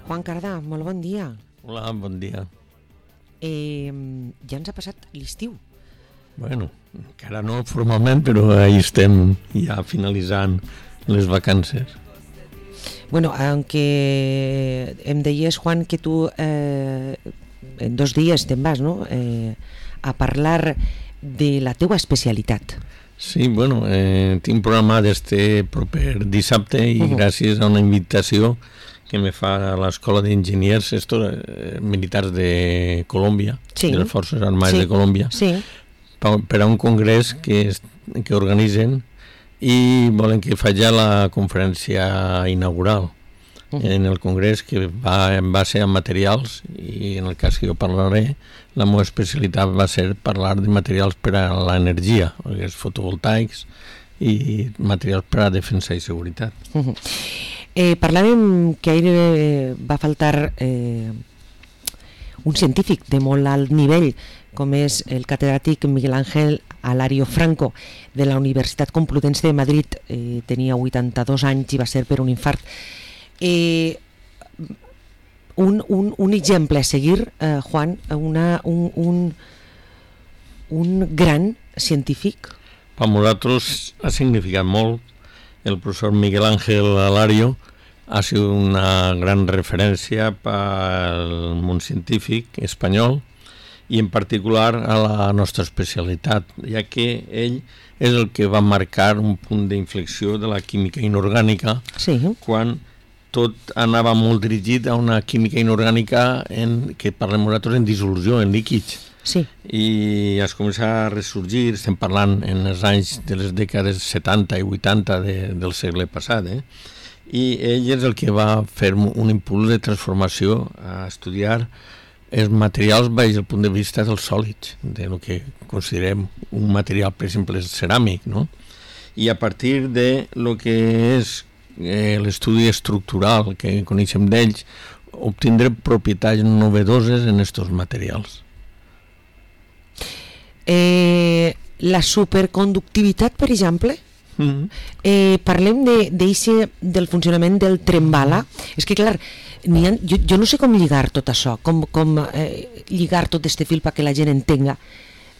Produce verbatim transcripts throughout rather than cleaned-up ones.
Juan Cardà, molt bon dia. Hola, bon dia. Eh, ja ens ha passat l'estiu. Bueno, encara no formalment, però ahí estem ja finalitzant les vacances. Bueno, aunque em deies, Juan, que tu eh, en dos dies te'n vas, no?, eh, a parlar de la teua especialitat. Sí, bueno, eh, tinc programat este proper dissabte i uh-huh. gràcies a una invitació que me fa l'Escola d'Enginyers esto, eh, Militars de Colòmbia, sí. de les Forces Armades sí. de Colòmbia, sí. per, per a un congrés que, es, que organitzen i volen que faci la conferència inaugural. Uh-huh. En el congrés, que va en base a materials, i en el cas que jo parlaré, la meva especialitat va ser parlar de materials per a l'energia, els fotovoltaics i materials per a defensa i seguretat. Uh-huh. Eh, parlàvem que ahir eh, va faltar eh, un científic de molt alt nivell, com és el catedràtic Miguel Ángel Alario Franco, de la Universitat Complutense de Madrid. Eh, tenia vuitanta-dos anys i va ser per un infart. Eh, un, un, un exemple a seguir, eh, Juan, una, un, un, un gran científic. Per nosaltres ha significat molt. El professor Miguel Ángel Alario ha sigut una gran referència pel món científic espanyol i en particular a la nostra especialitat, ja que ell és el que va marcar un punt d'inflexió de la química inorgànica, sí. quan tot anava molt dirigit a una química inorgànica en, que parlem nosaltres en dissolució, en líquids. Sí. I es comença a ressorgir, estem parlant en els anys de les dècades setanta i vuitanta de, del segle passat, eh? I ell és el que va fer un impuls de transformació a estudiar els materials baix el punt de vista dels sòlids, de lo que considerem un material, per exemple, ceràmic, no? I a partir de lo que és eh, l'estudi estructural que coneixem d'ells, obtindre propietats novedoses en aquests materials. Eh, la superconductivitat, per exemple, mm-hmm. eh, parlem de, de, del funcionament del tren bala. És que, clar, ha, jo, jo no sé com lligar tot això, com, com eh, lligar tot este fil perquè la gent entenga.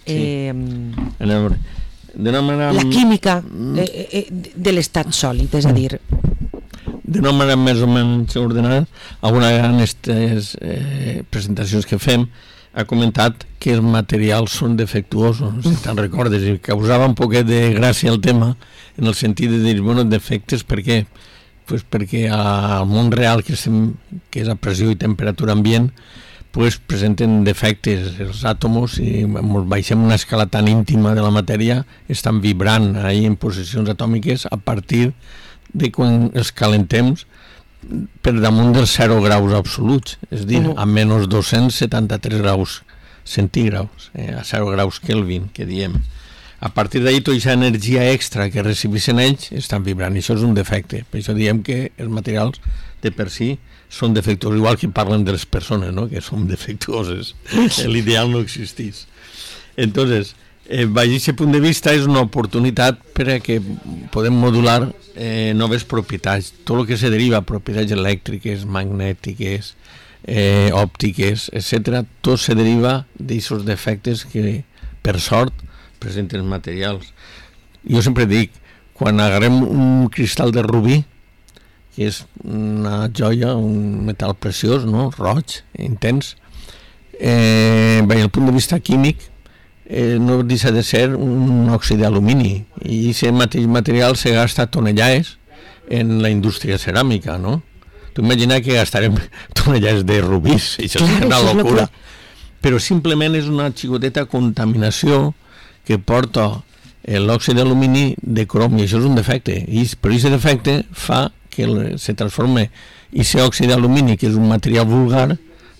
Eh, sí. D'una manera... La química eh, eh, de l'estat sòlid, és a dir... D'una manera més o menys ordenada, alguna vegada en aquestes eh, presentacions que fem ha comentat que els materials són defectuosos, si te'n recordes, i causava un poquet de gràcia el tema, en el sentit de dir, bueno, defectes, per què? Pues perquè al món real, que, estem, que és a pressió i temperatura ambient, pues presenten defectes. Els àtomos, si ens baixem una escala tan íntima de la matèria, estan vibrant ahí en posicions atòmiques a partir de quan els calentem per damunt dels zero graus absoluts, és a dir, uh-huh. a menys dos-cents setanta-tres graus centígraus, eh, a zero graus Kelvin, que diem. A partir d'ahir, tota aquesta energia extra que recibeixen ells estan vibrant, i això és un defecte. Per això diem que els materials de per si són defectuosos, igual que parlen de les persones, no?, que són defectuoses. L'ideal no existís. Entonces, eh, baix aquest punt de vista és una oportunitat per a que podem modular eh, noves propietats, tot el que se deriva, propietats elèctriques, magnètiques, eh, òptiques, etcètera, tot se deriva d'aquests defectes que, per sort, presenten els materials. Jo sempre dic, quan agarrem un cristall de rubí, que és una joia, un metall preciós, no?, roig, intens, eh, baix el punt de vista químic, Eh, no deixa de ser un òxid d'alumini, i aquest mateix material se gasta tonellades en la indústria ceràmica, no? Tu imagina que gastarem tonellades de rubís, això és una locura. Però simplement és una xicoteta contaminació que porta l'òxid d'alumini de crom, i això és un defecte, i però aquest defecte fa que se transformi aquest òxid d'alumini, que és un material vulgar,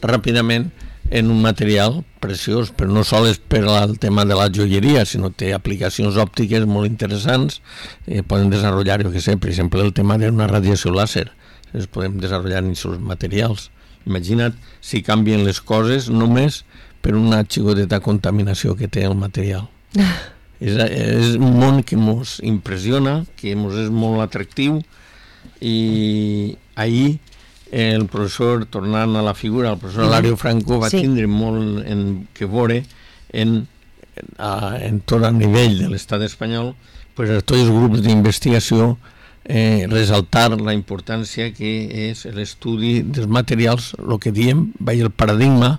ràpidament en un material preciós, però no sols per al tema de la joieria, sinó té aplicacions òptiques molt interessants, eh, poden desenvolupar, jo què sé, per exemple, el tema d'una radiació làser, es podem desenvolupar en aquests materials. Imagina't si canvien les coses només per una xicoteta contaminació que té el material. és, és un món que ens impressiona, que ens és molt atractiu, i ahir el professor, tornant a la figura, el professor Alario Franco va sí. tindre molt en que veure en, a, en tot el nivell de l'estat espanyol, pues, a tots els grups d'investigació eh, resaltar la importància que és l'estudi dels materials, el que diem, veia el paradigma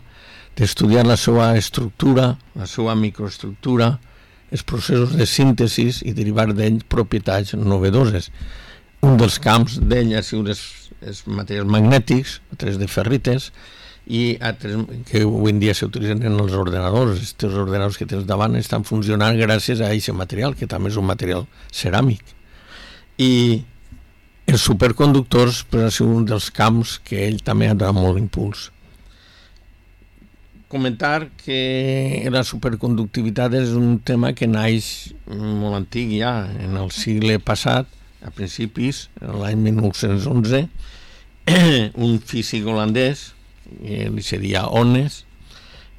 d'estudiar la seva estructura, la seva microestructura, els processos de síntesi i derivar d'ell propietats novedoses. Un dels camps d'ell ha sigut els, els materials magnètics, altres de ferrites, i altres que avui en dia s'utilitzen en els ordenadors. Aquests ordenadors que tens davant estan funcionant gràcies a aquest material, que també és un material ceràmic. I els superconductors pues, ha sigut un dels camps que ell també ha donat molt impuls. Comentar que la superconductivitat és un tema que naix molt antic ja, en el segle passat, a principis, l'any mil nou-cents onze, un físic holandès, li se deia Onnes,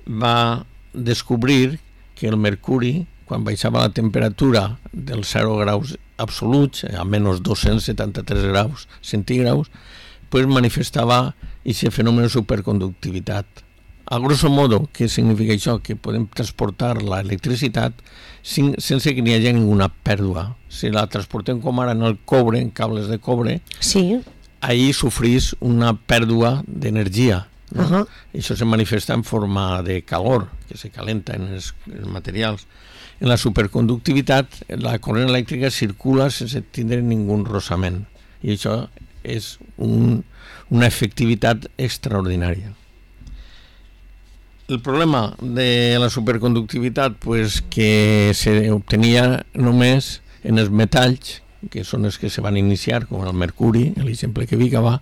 va descobrir que el mercuri, quan baixava la temperatura dels zero graus absoluts, a menys dos-cents setanta-tres graus centígraus, pues manifestava aquest fenomen de superconductivitat. A grosso modo, què significa això? Que podem transportar l'electricitat sense que n'hi hagi ninguna pèrdua. Si la transportem com ara en el cobre, en cables de cobre, sí. ahí sofrís una pèrdua d'energia. No? Uh-huh. Això se manifesta en forma de calor, que se calenta en els, els materials. En la superconductivitat, la corrent elèctrica circula sense tindre ningú rossament. I això és un, una efectivitat extraordinària. El problema de la superconductivitat pues, que s'obtenia només en els metalls, que són els que se van iniciar, com el mercuri, l'exemple que vi que va,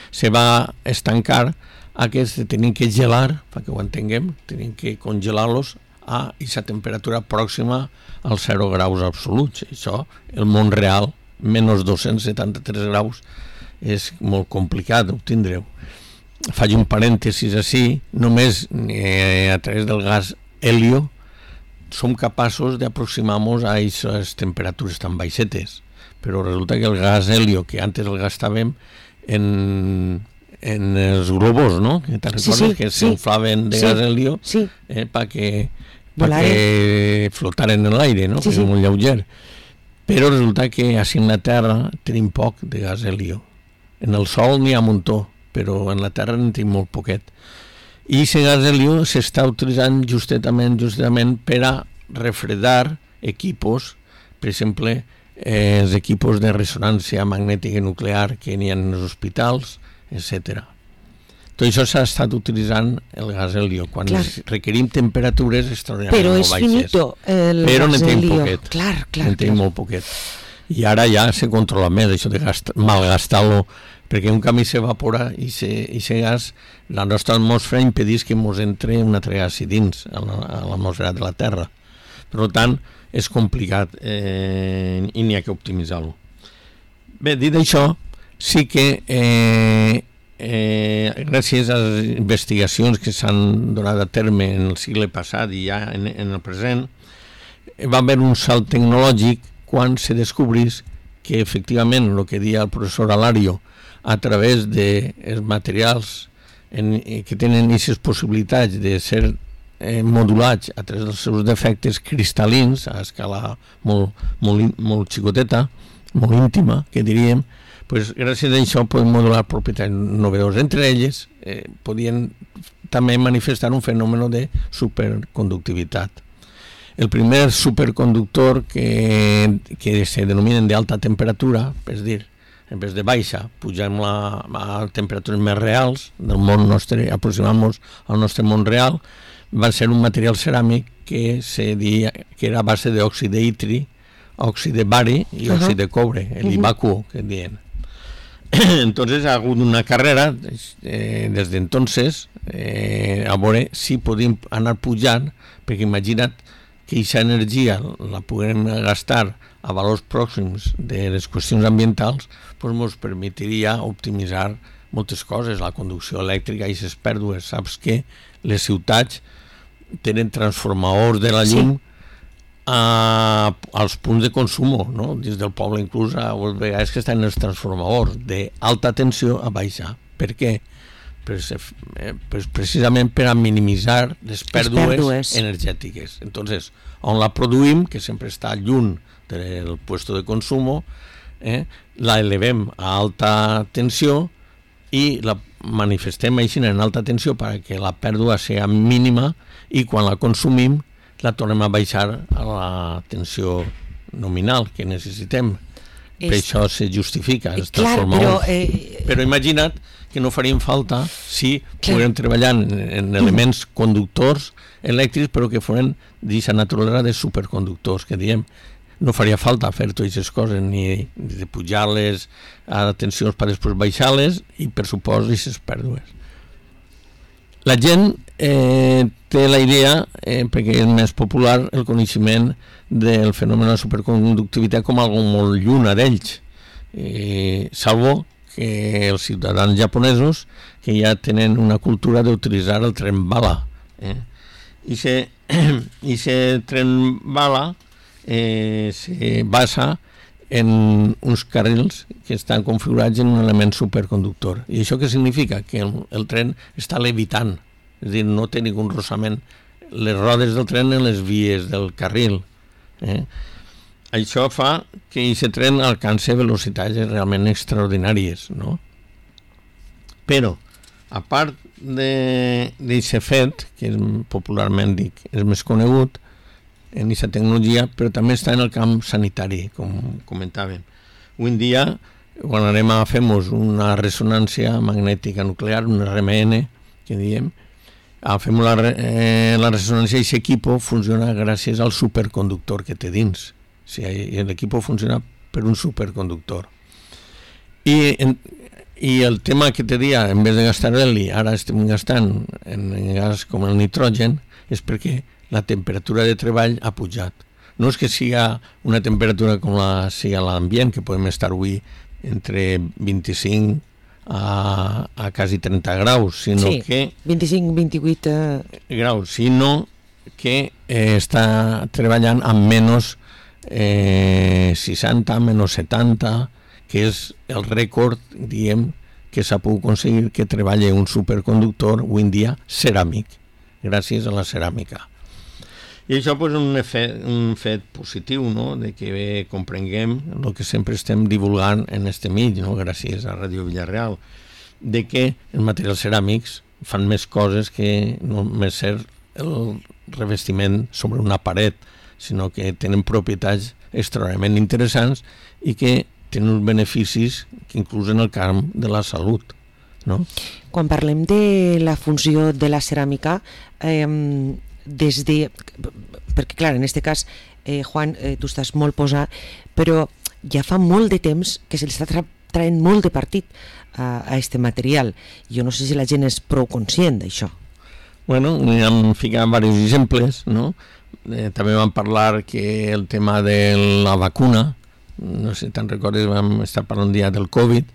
se va estancar aquests tenien que gelar, perquè ho entenguem, tenien que congelar-los a aquesta temperatura pròxima als zero graus absoluts. Això, el món real, menys dos-cents setanta-tres graus, és molt complicat d'obtindre-ho. Faig un parèntesis així, només eh, a través del gas helio som capaços d'aproximar-nos a aquestes temperatures tan baixetes, però resulta que el gas helio, que antes el gastàvem en, en els globos, no? Que te'n recordes sí, sí, que s'inflaven sí, de gas helio sí. eh, perquè perquè flotaren en l'aire, no? Sí, que és sí. molt lleuger. Però resulta que així en la Terra tenim poc de gas helio. En el Sol n'hi ha un muntó, però en la Terra en tenim molt poquet. I aquest gas helio s'està utilitzant justament, justament per a refredar equipos, per exemple, eh, els equipos de ressonància magnètica nuclear que n'hi ha en els hospitals, etcètera. Tot això s'ha estat utilitzant el gas helio, quan requerim temperatures extraordinàriament molt baixes. Però és finito el però gas helio. Poquet. Clar, clar. En tenim molt poquet. I ara ja se controla més, això de malgastar-lo, perquè un camí s'evapora i aquest gas, la nostra atmosfera impedís que ens entre un altre gas dins a l'atmosfera de la Terra. Per tant, és complicat eh, i n'hi ha que optimitzar-lo. Bé, dit això, sí que eh, eh, gràcies a les investigacions que s'han donat a terme en el segle passat i ja en, en el present, va haver un salt tecnològic quan se descobrís que efectivament el que deia el professor Alario, a través dels materials en, que tenen aquestes possibilitats de ser eh, modulats a través dels seus defectes cristal·lins a escala molt, molt, molt xicoteta, molt íntima, que diríem, pues, gràcies a això podem modular propietats novedoses. Entre elles eh, podien també manifestar un fenomen de superconductivitat. El primer superconductor que, que se denominen d'alta temperatura, és dir, en vez de baixa, pugem la, a temperatures més reals del món nostre, aproximant-nos al nostre món real, va ser un material ceràmic que se dia que era a base d'òxid d'itri, òxid de bari i òxid uh-huh. de cobre, el ivacuo, que diuen. Entonces ha hagut una carrera eh, des d'entonces eh, a veure si podíem anar pujant, perquè imagina't que aquesta energia la puguem gastar a valors pròxims de les qüestions ambientals, doncs ens permetiria optimitzar moltes coses, la conducció elèctrica i les pèrdues. Saps que les ciutats tenen transformadors de la llum sí. a, als punts de consum, no? Dins del poble inclús a vegades que estan els transformadors d'alta tensió a baixa. Per què? Pues, eh, pues precisament per a minimitzar les pèrdues, pèrdues energètiques. Entonces, on la produïm, que sempre està lluny del puesto de consumo, eh, la elevem a alta tensió i la manifestem així en alta tensió perquè la pèrdua sigui mínima i quan la consumim la tornem a baixar a la tensió nominal que necessitem. És... Per això se justifica, es transforma. Clar, però, eh... però imagina't que no farien falta si poguérem treballar en, en elements conductors elèctrics però que foren d'aquesta naturalesa de superconductors, que diem, no faria falta fer totes aquestes coses, ni de pujar-les a tensions per després baixar-les i per supost aquestes pèrdues. La gent eh, té la idea, eh, perquè és més popular, el coneixement del fenomen de la superconductivitat com algo molt lluny d'ells, eh, salvo que els ciutadans japonesos que ja tenen una cultura d'utilitzar el tren bala. Eh? I aquest tren bala eh, se basa en uns carrils que estan configurats en un element superconductor. I això què significa? Que el, el tren està levitant, és a dir, no té ningú rossament les rodes del tren en les vies del carril. Eh? Això fa que aquest tren alcance velocitats realment extraordinàries, no? Però, a part d'aquest fet, que és, popularment dic, és més conegut en aquesta tecnologia, però també està en el camp sanitari, com comentàvem. Avui en dia, quan anem a fer-nos una ressonància magnètica nuclear, un R M N, que diem, a fer la, eh, la ressonància i aquest equip funciona gràcies al superconductor que té dins. Sí, l'equip funciona per un superconductor. I, en, i el tema que te dia, en vez de gastar heli, ara estem gastant en, en gas com el nitrogen, és perquè la temperatura de treball ha pujat. No és que sigui una temperatura com la sigui a l'ambient, que podem estar avui entre vint-i-cinc a, a quasi trenta graus, sinó sí, que... vint-i-cinc vint-i-vuit eh... graus, sinó que eh, està treballant amb menys Eh, seixanta, menys setanta, que és el rècord, diem, que s'ha pogut aconseguir que treballi un superconductor avui en dia ceràmic, gràcies a la ceràmica. I això és pues, un, efecte, un fet positiu, no?, de que bé comprenguem el que sempre estem divulgant en este mig, no?, gràcies a Ràdio Villarreal, de que els materials ceràmics fan més coses que no només ser el revestiment sobre una paret, sinó que tenen propietats extraordinàriament interessants i que tenen uns beneficis que inclús en el camp de la salut, no? Quan parlem de la funció de la ceràmica, eh, des de... perquè clar, en aquest cas, eh, Juan, eh, tu estàs molt posat, però ja fa molt de temps que se li està tra traient molt de partit a, a este material. Jo no sé si la gent és prou conscient d'això. Bueno, hem ficat diversos exemples, no? Eh, també vam parlar que el tema de la vacuna, no sé si te'n recordes, vam estar parlant un dia del Covid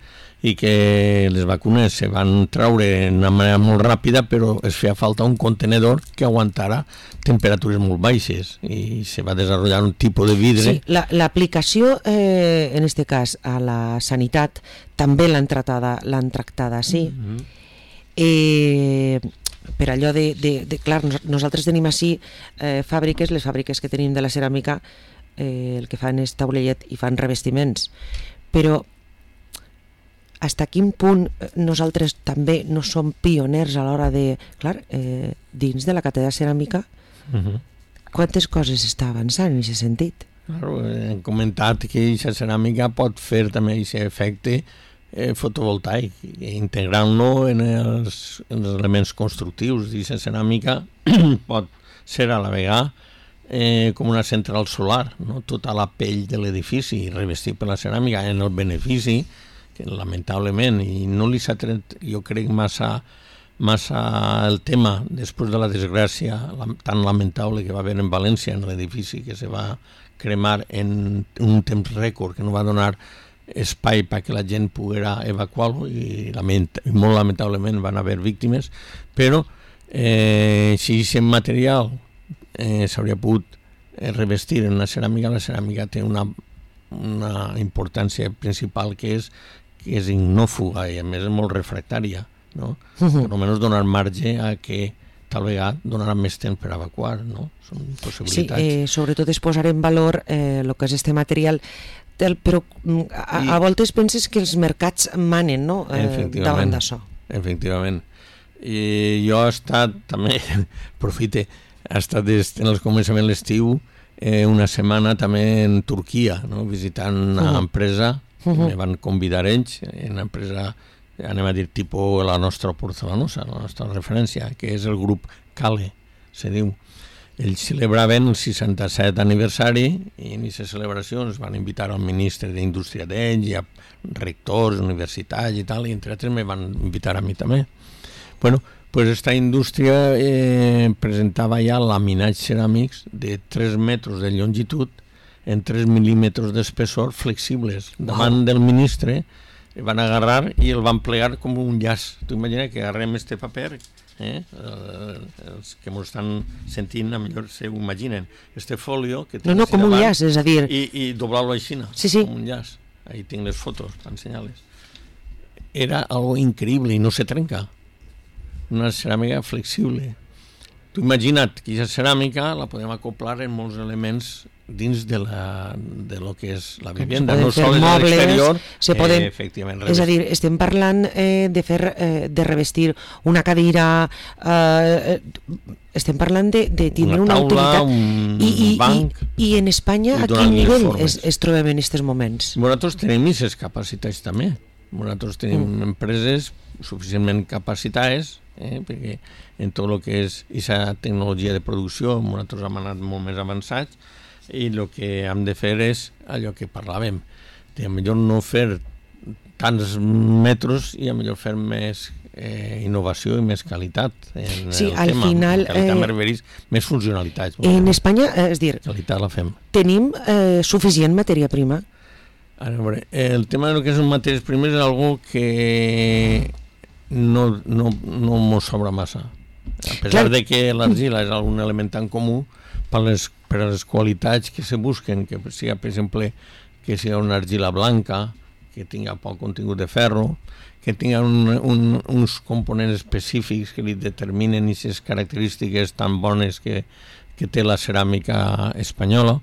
i que les vacunes se van traure d'una manera molt ràpida, però es feia falta un contenedor que aguantara temperatures molt baixes i se va desenvolupar un tipus de vidre. Sí, l'aplicació, la, eh, en aquest cas, a la sanitat, també l'han tractada, l'han tractada així. Mm-hmm. Eh... per allò de, de, de clar, nosaltres tenim així eh, fàbriques, les fàbriques que tenim de la ceràmica eh, el que fan és taulellet i fan revestiments, però fins a quin punt nosaltres també no som pioners a l'hora de, clar, eh, dins de la càtedra ceràmica, uh-huh. quantes coses està avançant en aquest sentit? Claro, hem comentat que aquesta ceràmica pot fer també aquest efecte Eh, fotovoltaic, integrant-lo en els, en els elements constructius. Aquesta ceràmica pot ser a la vegada eh, com una central solar, no? Tota la pell de l'edifici revestit per la ceràmica en el benefici, que lamentablement, i no li s'ha tret, jo crec, massa, massa el tema després de la desgràcia la, tan lamentable que va haver en València, en l'edifici que se va cremar en un temps rècord, que no va donar espai perquè la gent poguera evacuar-lo i, lament, i molt lamentablement van haver víctimes, però eh, si aquest material eh, s'hauria pogut eh, revestir en la ceràmica, la ceràmica té una, una importància principal, que és que és ignòfuga i a més és molt refractària, no? Uh -huh. Per almenys donar marge a que tal vegada donarà més temps per evacuar, no? Són possibilitats. Sí, eh, sobretot es posar en valor el eh, que és este material, del, però a, I, a voltes penses que els mercats manen, no? Eh, davant d'això. Efectivament. I jo he estat, també, aprofite, he estat en el començament de l'estiu eh, una setmana també en Turquia, no? Visitant una uh -huh. empresa, uh -huh. me van convidar ells, una empresa, anem a dir, tipus la nostra porcelanosa, la nostra referència, que és el grup Cale, se diu. Ells celebraven el seixanta-set aniversari i en aquestes celebracions van invitar al ministre d'Indústria d'ells i a rectors, universitats i tal, i entre altres me van invitar a mi també. Bueno, pues esta indústria eh, presentava ja laminats ceràmics de tres metres de longitud en tres mil·límetres d'espessor flexibles. Davant oh. del ministre el van agarrar i el van plegar com un llaç. Tu imagina que agarrem este paper, eh? Els que m'ho estan sentint a millor se ho imaginen. Este folio que no, no, com un llaç, és a dir... I, i doblar-lo així, sí, sí. com un llaç. Ahí tinc les fotos, per ensenyar-les. Era algo increïble i no se trenca. Una ceràmica flexible. Tu imagina't que aquesta ceràmica la podem acoplar en molts elements dins de, la, de lo que és la vivenda, no sols a l'exterior, se poden, eh, efectivament. És a dir, estem parlant eh, de fer, eh, de revestir una cadira, eh, estem parlant de, de tindre una, taula, una utilitat. Un I, i, banc. I, I en Espanya, a quin nivell es, es trobem en aquests moments? Nosaltres tenim aquestes capacitats també. Nosaltres tenim mm. empreses suficientment capacitades, eh, perquè en tot el que és aquesta tecnologia de producció nosaltres hem anat molt més avançats i el que hem de fer és allò que parlàvem, de millor no fer tants metres i a millor fer més eh, innovació i més qualitat en sí, el al tema. Final, eh, més funcionalitats. En Espanya, eh, és dir, qualitat la fem. Tenim eh, suficient matèria prima? A veure, el tema de lo que són matèries primeres és algo que no, no, no mos sobra massa. A pesar Clar. de que l'argila és un element tan comú per les, per les qualitats que se busquen, que sigui, per exemple, que sigui una argila blanca, que tinga poc contingut de ferro, que tinga un, un, uns components específics que li determinen aquestes característiques tan bones que, que té la ceràmica espanyola,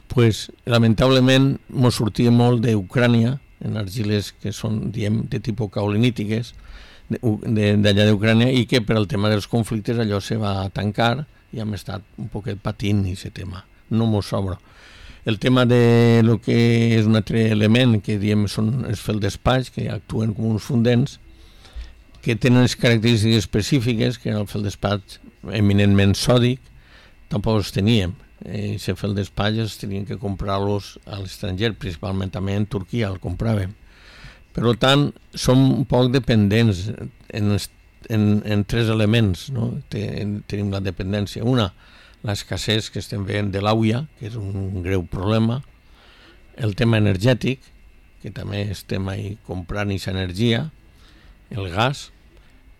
pues, lamentablement mos sortia molt d'Ucrània, en argiles que són, diem, de tipus caolinítiques, d'allà d'Ucrània, i que per al tema dels conflictes allò se va tancar i hem estat un poquet patint aquest tema. No mos sobra. El tema de lo que és un altre element que diem són els feldespats, que actuen com uns fundents, que tenen les característiques específiques, que en el feldespat eminentment sòdic, tampoc els teníem. I si feldespats tenien que comprar-los a l'estranger, principalment també en Turquia el compràvem. Per tant, som un poc dependents en, en, en tres elements, no? Ten, tenim la dependència. Una, l'escassez que estem veient de l'auia, que és un greu problema. El tema energètic, que també estem ahí comprant aquesta energia. El gas.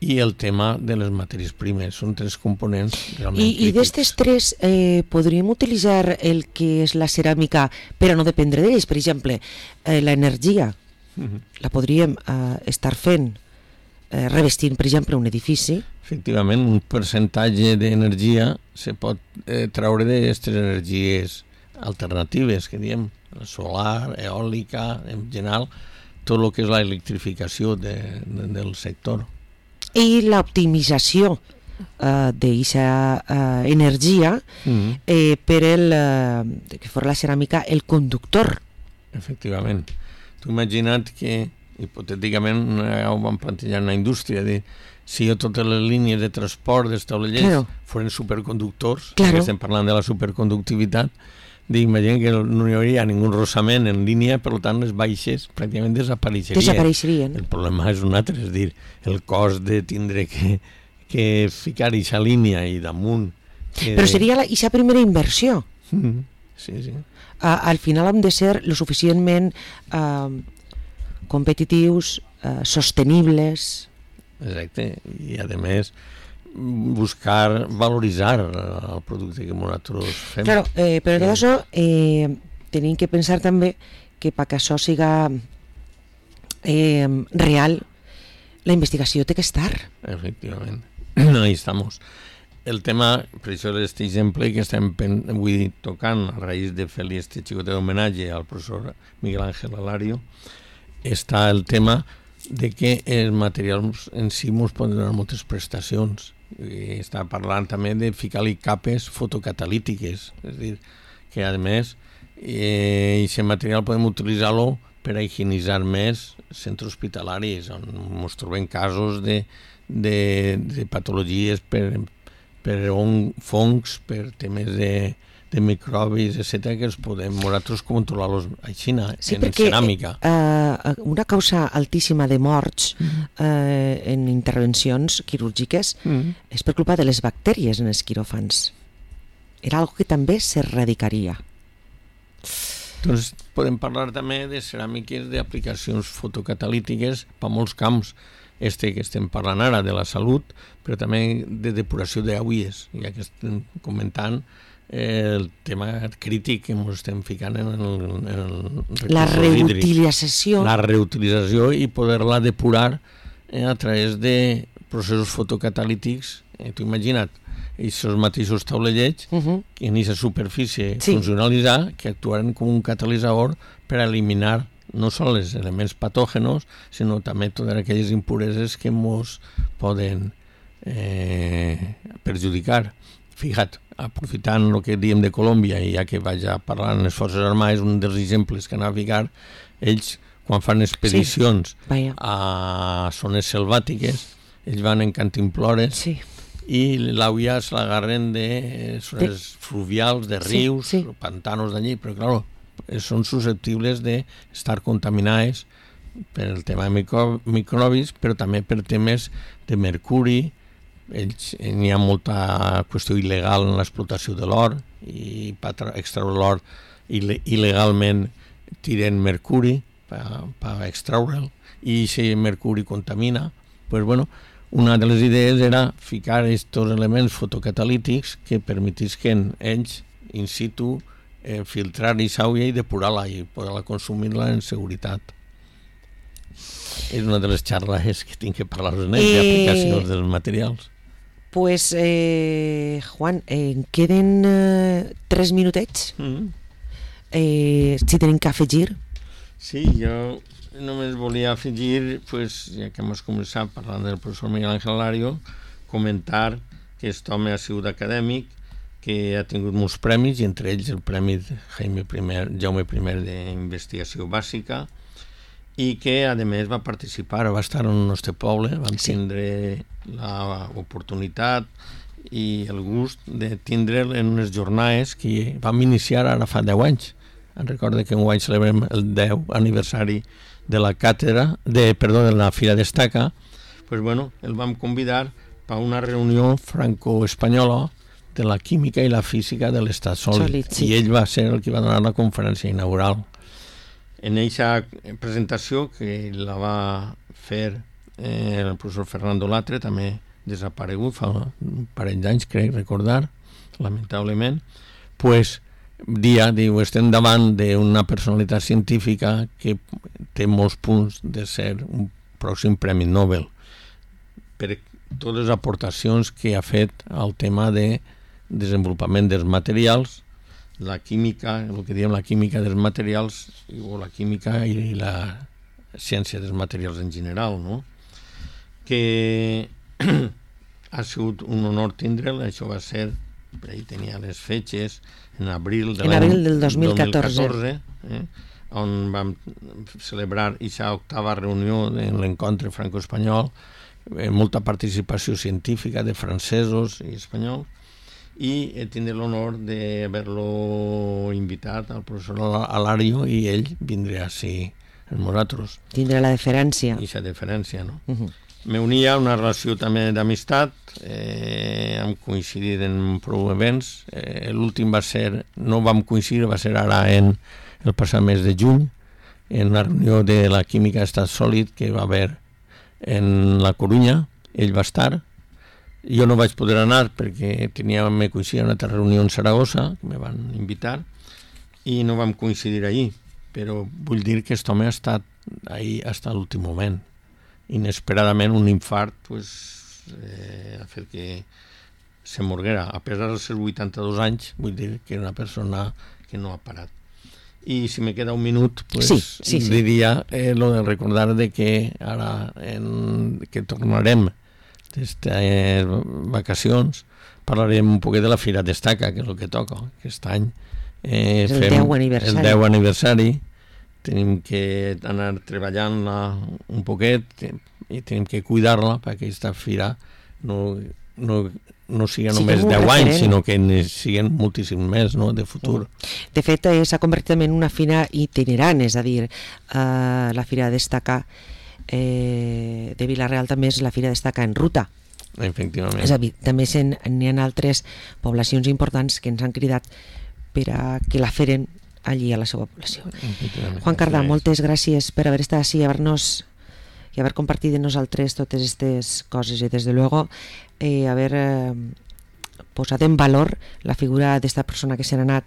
I el tema de les matèries primes. Són tres components realment I, crítics. I d'estes tres eh, podríem utilitzar el que és la ceràmica per a no dependre d'ells? Per exemple, eh, l'energia. Uh-huh. La podríem eh, estar fent eh, revestint, per exemple, un edifici. Efectivament, un percentatge d'energia se pot eh, traure d'aquestes energies alternatives, que diem, solar, eòlica, en general, tot el que és l'electrificació de, de, del sector. I l'optimització eh, d'aquesta eh, energia uh-huh. eh, per el, eh, que fos la ceràmica el conductor. Efectivament. Tu imagina't que, hipotèticament, ho vam plantejar en la indústria, de si jo totes les línies de transport dels taulellers claro. foren superconductors, claro. que estem parlant de la superconductivitat, d'imagina que no hi hauria ningú rossament en línia, per tant les baixes pràcticament desapareixerien. desapareixerien. El problema és un altre, és dir, el cost de tindre que, que ficar aquesta línia i damunt... Que... Però seria aquesta primera inversió. Mm-hmm. Sí, sí. Uh, al final hem de ser lo suficientment uh, competitius, uh, sostenibles. Exacte, i a més buscar valoritzar el producte que nosaltres fem. Claro, eh, però tot això eh, tenim que pensar també que perquè això siga eh, real, la investigació té que estar. Efectivament, ahí estamos. El tema, per això aquest exemple que estem avui tocant a raïs de fer-li este xicotet d'homenatge al professor Miguel Ángel Alario, està el tema de que els materials en si ens poden donar moltes prestacions. I està parlant també de ficar-li capes fotocatalítiques, és a dir, que a més eh, aquest material podem utilitzar-lo per a higienitzar més centres hospitalaris on ens trobem casos de, de, de patologies per, per on, fongs, per temes de, de microbis, etcètera, que els podem nosaltres controlar-los així, sí, en perquè, ceràmica. Eh, una causa altíssima de morts eh, en intervencions quirúrgiques mm. és per culpa de les bactèries en els quiròfans. Era algo que també s'erradicaria. Doncs podem parlar també de ceràmiques d'aplicacions fotocatalítiques per molts camps. Este que estem parlant ara de la salut, però també de depuració d'aigües, ja que estem comentant eh, el tema crític que ens estem ficant en el, en el la reutilització. La reutilització i poder-la depurar eh, a través de processos fotocatalítics. Eh, T'ho imagina't, aquests mateixos taulellets uh-huh. que en aquesta superfície sí. funcionalitzar que actuaran com un catalitzador per eliminar no sols els elements patògenos, sinó també totes aquelles impureses que ens poden eh, perjudicar. Fija't, aprofitant el que diem de Colòmbia, i ja que vaig a parlar en les Forces Armades, un dels exemples que anava a ficar, ells, quan fan expedicions sí, a zones selvàtiques, ells van en cantimplores sí. i l'aigua se l'agarren de zones fluvials, de rius, sí, sí. pantanos d'allí, però clar, són susceptibles d'estar contaminades per el tema de micro, microbis, però també per temes de mercuri. Ells, n'hi ha molta qüestió il·legal en l'explotació de l'or i per extraure l'or il·legalment tiren mercuri per, per extraure'l i si mercuri contamina. Pues bueno, una de les idees era ficar aquests elements fotocatalítics que permetisquen ells in situ Eh, filtrar i aigua i depurar-la i poder-la consumir-la en seguretat. És una de les xarles que tinc que parlar amb ells, eh, d'aplicacions dels materials. Pues, eh, Juan, eh, queden eh, tres minutets. Mm-hmm. Eh, si tenim que afegir. Sí, jo només volia afegir, pues, ja que hem començat parlant del professor Miguel Ángel Alario, comentar que aquest home ha sigut acadèmic, que ha tingut molts premis, i entre ells el Premi Jaime I, Jaume I d'Investigació Bàsica, i que, a més, va participar, va estar en el nostre poble, vam sí. tindre l'oportunitat i el gust de tindre'l en unes jornades que vam iniciar ara fa deu anys. Em recordo que enguany celebrem el deu aniversari de la càtedra, de, perdó, de la Fira d'Estaca. Pues bueno, el vam convidar per una reunió franco-espanyola de la química i la física de l'estat sòlid, sí. i ell va ser el que va donar la conferència inaugural. En aquesta presentació, que la va fer eh, el professor Fernando Latre, també desaparegut fa un parell d'anys, crec recordar, lamentablement, pues, dia, diu, estem davant d'una personalitat científica que té molts punts de ser un pròxim Premi Nobel per totes les aportacions que ha fet al tema de desenvolupament dels materials, la química, el que diem la química dels materials, o la química i la ciència dels materials en general, no? Que ha sigut un honor tindre'l, això va ser, per ahí tenia les fetges, en abril, de en abril del dos mil catorze, dos mil catorze eh, on vam celebrar aquesta octava reunió en l'encontre franco-espanyol, eh, molta participació científica de francesos i espanyols, i he tingut l'honor d'haver-lo invitat al professor Alario i ell vindrà així amb nosaltres. Tindrà la deferència. I la deferència, no? Uh-huh. M'unia a una relació també d'amistat, eh, hem coincidit en prou events, eh, l'últim va ser, no vam coincidir, va ser ara en el passat mes de juny, en una reunió de la química d'estat sòlid que va haver en la Corunya, ell va estar. Jo no vaig poder anar perquè tenia, me coincidir en una altra reunió en Saragossa, que me van invitar, i no vam coincidir allí, però vull dir que aquest home ha estat ahí hasta l'últim moment. Inesperadament un infart pues, eh, ha fet que se morguera, a pesar dels seus vuitanta-dos anys, vull dir que era una persona que no ha parat. I si me queda un minut, pues, sí, sí, sí. diria eh, lo de recordar de que ara en, que tornarem d'estes vacacions, parlarem un poquet de la Fira Destaca, que és el que toca aquest any. Eh, el fem deu aniversari. El deu aniversari. Tenim que anar treballant-la un poquet i tenim que cuidar-la perquè aquesta fira no, no, no sigui només sí, deu anys, sinó que siguin moltíssim més, no?, de futur. De fet, eh, s'ha convertit en una fira itinerant, és a dir, eh, la Fira Destaca eh, de Vila-real també és la Fira Destaca en ruta. Efectivament. És a dir, també n'hi ha altres poblacions importants que ens han cridat per a que la feren allí a la seva població. Juan Cardà, moltes gràcies per haver estat així i haver-nos i haver compartit de nosaltres totes aquestes coses i des de luego eh, haver eh, posat en valor la figura d'esta persona que se n'ha anat,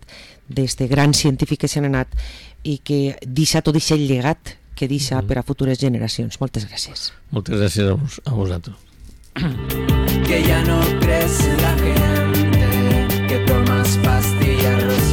d'este gran científic que se n'ha anat i que deixa tot aquest llegat que deixa per a futures generacions. Moltes gràcies. Moltes gràcies a, vos, a vosaltres. Que ya no crece la gente, que tomas pastillas.